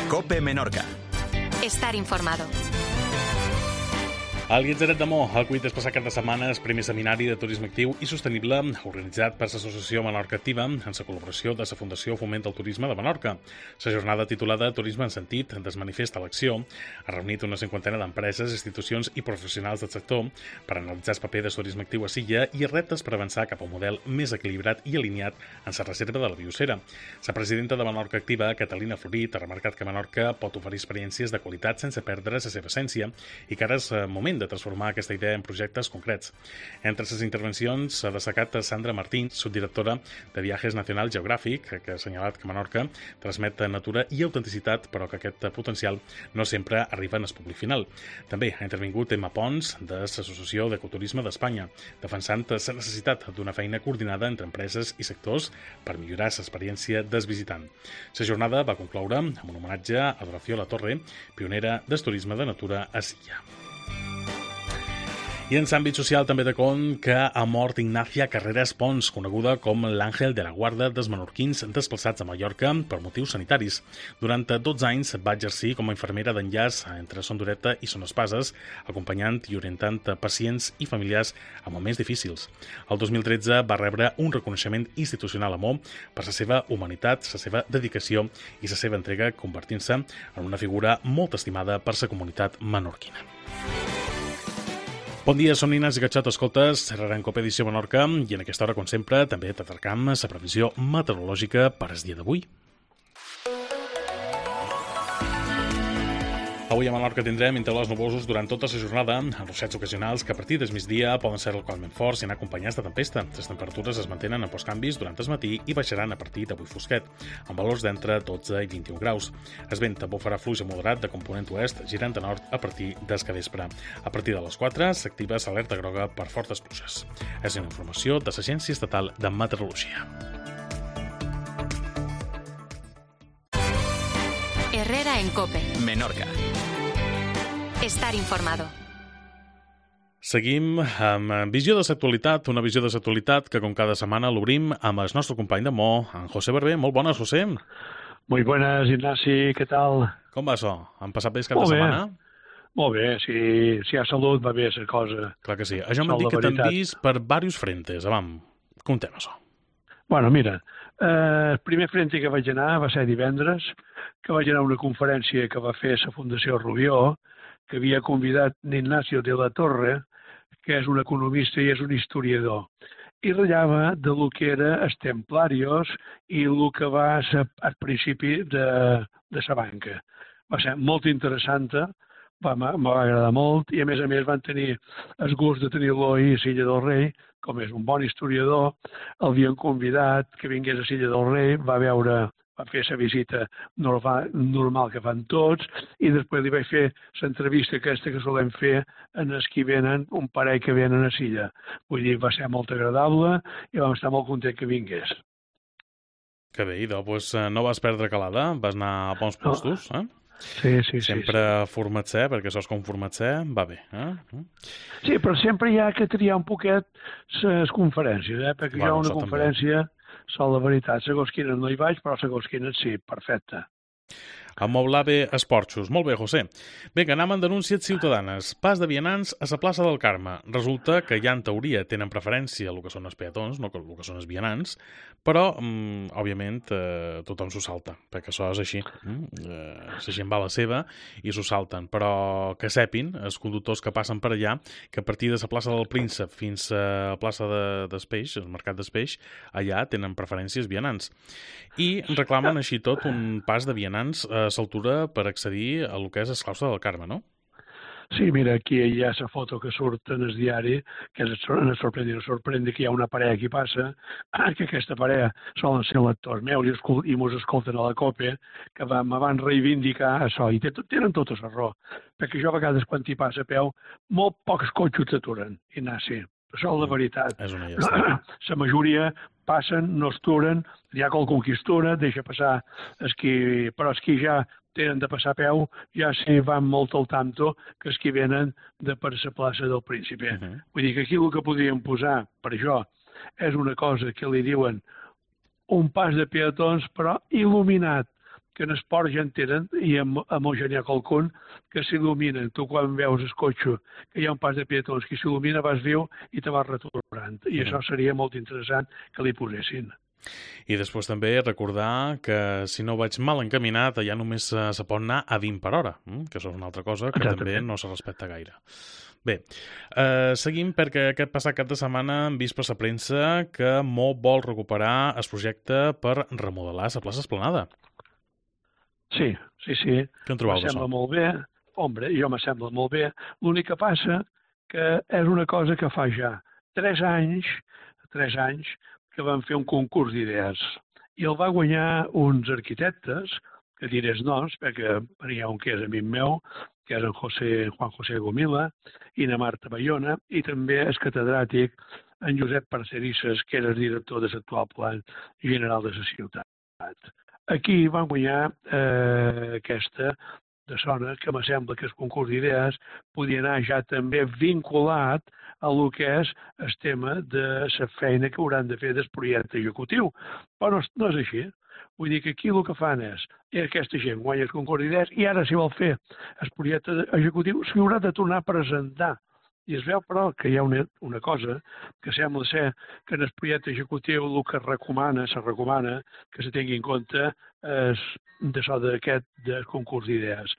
COPE Menorca. Estar informado. Al Guitzaret de Mo, el cuit és passar cada setmana el primer seminari de turisme actiu i sostenible organitzat per l'Associació Menorca Activa en la col·laboració de la Fundació Foment del Turisme de Menorca. La jornada titulada Turisme en sentit des manifest a l'acció ha reunit una cinquantena d'empreses, institucions i professionals del sector per analitzar el paper del turisme actiu a Silla i reptes per avançar cap a un model més equilibrat i alineat en la reserva de la biosfera. La presidenta de Menorca Activa, Catalina Florit, ha remarcat que Menorca pot oferir experiències de qualitat sense perdre la seva essència i que ara és moment de transformar aquesta idea en projectes concrets. Entre les intervencions s'ha destacat Sandra Martín, subdirectora de Viajes Nacional Geogràfic, que ha assenyalat que Menorca transmet natura i autenticitat, però que aquest potencial no sempre arriba en el públic final. També ha intervingut Emma Pons, de l'Associació d'Ecoturisme d'Espanya, defensant la necessitat d'una feina coordinada entre empreses i sectors per millorar l'experiència del visitant. La jornada va concloure amb un homenatge a Doració La Torre, pionera del turisme de natura a Silla. I en l'àmbit social també de compte que ha mort Ignacia Carreras Pons, coneguda com l'Àngel de la Guarda dels menorquins desplaçats a Mallorca per motius sanitaris. Durant 12 anys va exercir com a infermera d'enllaç entre Son Dureta i Son Espases, acompanyant i orientant pacients i familiars a moments difícils. El 2013 va rebre un reconeixement institucional a Mo per la seva humanitat, la seva dedicació i la seva entrega, convertint-se en una figura molt estimada per la comunitat menorquina. Bon dia, som Nines i Gatxot, escoltes, serrarà en COPE Edició Menorca i en aquesta hora, com sempre, també t'atracam la previsió meteorològica per al dia d'avui. Avui a Menorca tindrem intervals nuvosos durant tota la jornada, amb ruixats ocasionals que a partir del migdia poden ser localment forts i anar acompanyats de tempesta. Les temperatures es mantenen en postcanvis durant el matí i baixaran a partir d'avui fosquet, amb valors d'entre 12 i 21 graus. El vent també farà fluix a moderat de component oest, girant a nord a partir del capvespre. A partir de les 4 s'activa l'alerta groga per fortes pluges. És una informació de l'Agència Estatal de Meteorologia. Herrera en COPE. Menorca. Estar informado. Seguim amb Visió de l'actualitat, una visió de l'actualitat que com cada setmana l'obrim amb el nostre company de Mo, en José Barber. Molt bones, José. Muy buenas, Ignasi, ¿qué tal? Com va això? Han passat bé el cap de setmana? Molt bé, si hi ha salut va bé la cosa. Clar que sí. Això m'han dit que t'han vist per diversos frentes. Avam, contem això. Bueno, mira, el primer frente que vaig anar va ser divendres, que vaig anar a una conferència que va fer la Fundació Rubió, que havia convidat Ignacio de la Torre, que és un economista i és un historiador, i ratllava de lo que era els templarios i el que va ser al principi de la banca. Va ser molt interessant, me va agradar molt, i a més van tenir el gust de tenir-lo a Silla del Rei, com és un bon historiador, l'havien convidat que vingués a Silla del Rei, va fer la visita normal que fan tots i després li vaig fer l'entrevista aquesta que solem fer en els que venen, un parell que venen a Silla. Vull dir, va ser molt agradable i vam estar molt content que vingués. Que bé, doncs no vas perdre calada, vas anar a bons postos, eh? Sí. Sempre format-se, perquè això és com format-se, va bé. Sí, però sempre hi ha que triar un poquet les conferències, perquè jo a una conferència, la veritat, segons quines no hi vaig, però segons quines sí, perfecte. Amoblave Esporxos. Molt bé, José. Vinga, anem amb denúncies ciutadanes. Pas de vianants a la plaça del Carme. Resulta que ja en teoria tenen preferència el que són els peatons, no el que són els vianants, però, òbviament, tothom s'ho salta, perquè això és així. La gent va a la seva i s'ho salten. Però que sepin, els conductors que passen per allà, que a partir de la plaça del Príncep fins a la plaça del Peix, el mercat del Peix, allà tenen preferències vianants. I reclamen així tot un pas de vianants a l'altura per accedir a lo que és el claustre del Carme, no? Sí, mira, aquí hi ha la foto que surt en el diari, que ens sorprèn que hi ha una parella que passa, que aquesta parella solen ser lectors meus i mos escolten a la COPE, que me van reivindicar això, i tenen tota la raó, perquè jo a vegades quan hi passa a peu, molt pocs cotxes s'aturen, Ignasi. Això és la veritat. És una llàstima. La majoria passen, no es turen, hi ha qualcun que es tura, deixa passar però els que ja tenen de passar a peu, ja s'hi van molt al tanto que els que venen de per la plaça del Príncipe. Vull dir que aquí el que podríem posar per això és una cosa que li diuen un pas de peatons, però il·luminat, que en esport ja en tenen, i amb Eugènia Colcón, que s'il·luminen. Tu quan veus el cotxe, que hi ha un pas de peatons que s'il·lumina, vas viu i te vas retornant. I això seria molt interessant que li posessin. I després també recordar que si no vaig mal encaminat, allà només se pot anar a 20 per hora, que això és una altra cosa que també no se respecta gaire. Bé, seguim perquè aquest passat cap de setmana hem vist per la premsa que Mo vol recuperar el projecte per remodelar la plaça Esplanada. Sí. Què en trobeu d'això? M'assembla molt bé. Hombre, jo m'assembla molt bé. L'únic que passa que és una cosa que fa ja 3 anys que van fer un concurs d'idees. I el va guanyar uns arquitectes, que diré els noms, perquè hi ha un que és amic meu, que és en Juan José Gomila, i na Marta Bayona, i també el catedràtic en Josep Parcerisses, que era el director de l'actual Plan General de la ciutat. Aquí van guanyar aquesta de zona, que m'assembla que el concurs d'idees podia anar ja també vinculat a lo que és el tema de la feina que hauran de fer del projecte executiu. Però no és així. Vull dir que aquí el que fan és aquesta gent guanya el concurs d'idees i ara, si vol fer el projecte executiu, s'hi haurà de tornar a presentar. I es veu, però, que hi ha una cosa que sembla ser que en el projecte executiu el que se recomana que se tingui en compte d'això d'aquest concurs d'idees.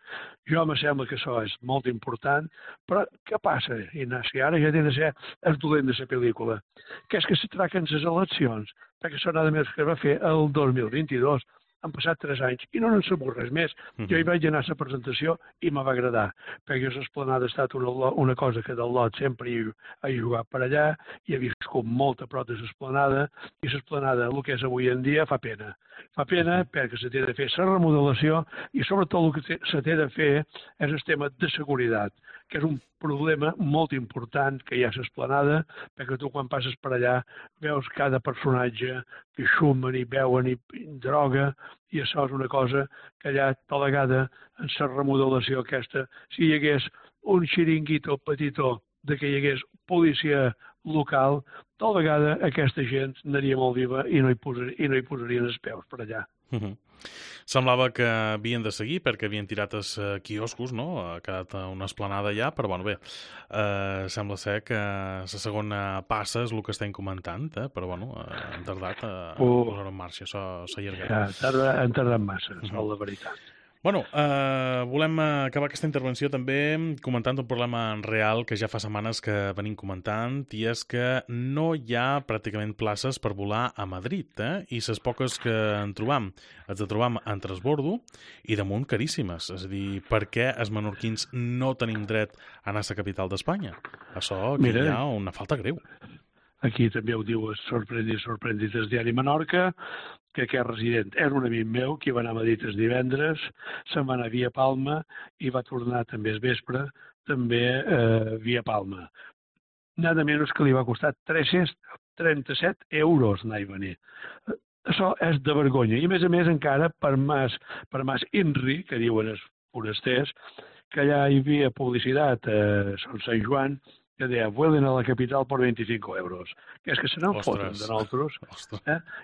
Jo me sembla que això és molt important, però què passa, Ignasi? Ara ja té de ser el dolent de la pel·lícula, que és que se traquen les eleccions, perquè això nada més que es va fer el 2022, han passat 3 anys i no n'han sabut res més. Jo hi vaig anar a la presentació i me va agradar, perquè l'Esplanada ha estat una cosa que del lot sempre he jugat per allà i he viscut molt a prop de l'Esplanada, i l'Esplanada, el que és avui en dia, fa pena. Fa pena perquè se té de fer la remodelació i sobretot el que se té de fer és el tema de seguretat, que és un problema molt important que hi ha a l'Esplanada, perquè tu quan passes per allà veus cada personatge que xumen i beuen i droga, i això és una cosa que allà tal vegada en la remodelació aquesta, si hi hagués un xiringuito petitó de que hi hagués policia local, tal vegada aquesta gent anaria molt viva i no hi posarien els peus per allà. Semblava que havien de seguir perquè havien tirat els quioscos, no? Ha quedat una esplanada allà, però bueno, bé, sembla ser que la segona passa és el que estem comentant, però bueno, han tardat a posar en marxa, això s'ha allargat. Han tardat massa, és la veritat. Bueno, volem acabar aquesta intervenció també comentant un problema real que ja fa setmanes que venim comentant, i és que no hi ha pràcticament places per volar a Madrid, i les poques que en trobam, els trobam en transbordo i damunt caríssimes. És a dir, per què els menorquins no tenim dret a anar a la capital d'Espanya? Això aquí hi ha una falta greu. Aquí també ho diu sorprendit el diari Menorca, que aquest resident era un amic meu que va anar a Madrid el divendres, se'n va anar via Palma i va tornar també el vespre, també via Palma. Nada menys que li va costar 337 euros anar i venir. Això és de vergonya. I a més encara per Mas Inri, que diuen els forasters, que allà hi havia publicitat a Sant Joan, que deia, vuelen a la capital por 25 euros. Que és que se n'en foten de nosaltres.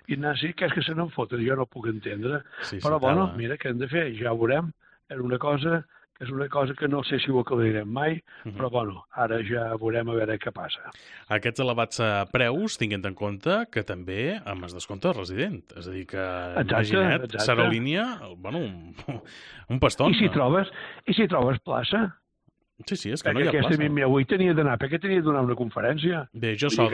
Ignasi, que és que se n'en foten, jo no puc entendre. Però bueno, mira, què hem de fer? Ja ho veurem. És una cosa que no sé si ho acabarem mai, però bueno, ara ja veurem a veure què passa. Aquests elevats preus, tinguent en compte que també amb el descompte resident. És a dir, que imagina't, s'aerolínia, bueno, un paston. I si trobes plaça? Sí, és que no hi ha plaça. Aquest amic meu avui tenia d'anar, perquè tenia de donar una conferència. Bé, jo s'ha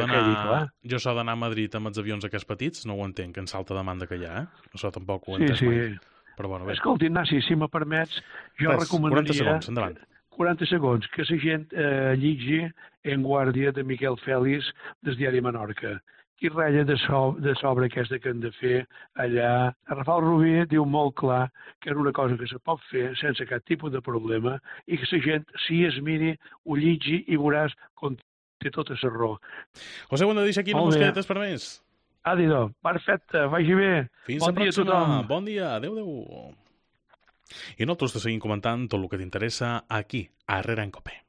d'anar a Madrid amb els avions aquests petits, no ho entenc, en salta demanda que hi ha, Això tampoc ho entenc mai. Però bueno, bé. Escolta, Ignasi, si me permets, jo recomanaria... 40 segons, endavant. 40 segons, que la gent llegeixi En Guàrdia de Miquel Fèlix del diari Menorca. Qui ratlla de sobre aquesta que hem de fer allà. Rafal Rubí diu molt clar que és una cosa que se pot fer sense cap tipus de problema i que la gent, si es miri, ho llegeixi i veuràs com té tota la raó. José, ho hem de deixar aquí, no mosquetes per més. Adidò, perfecte, vagi bé. Fins la pròxima. Bon dia, adeu. I nosaltres te seguim comentant tot el que t'interessa aquí, a Herrera en Cope.